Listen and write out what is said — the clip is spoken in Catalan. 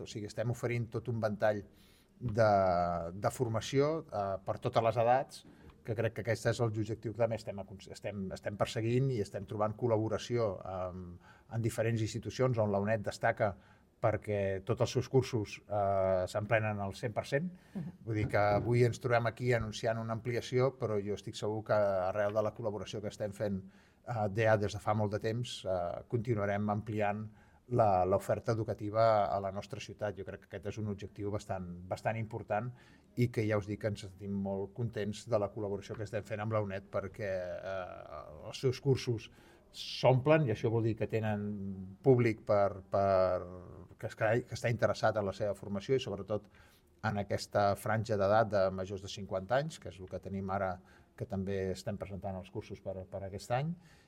O sigui, estem oferint tot un ventall de formació per totes les edats, que crec que aquest és l'objectiu que també estem perseguint i estem trobant col·laboració en diferents institucions on la UNED destaca perquè tots els seus cursos s'emplenen al 100%. Vull dir que avui ens trobem aquí anunciant una ampliació, però jo estic segur que arrel de la col·laboració que estem fent des de fa molt de temps continuarem ampliant l'oferta educativa a la nostra ciutat. Jo crec que aquest és un objectiu bastant important i que ja us dic que ens sentim molt contents de la col·laboració que estem fent amb la UNED perquè els seus cursos s'omplen i això vol dir que tenen públic que està interessat en la seva formació i sobretot en aquesta franja d'edat de majors de 50 anys, que és el que tenim ara, que també estem presentant els cursos per aquest any,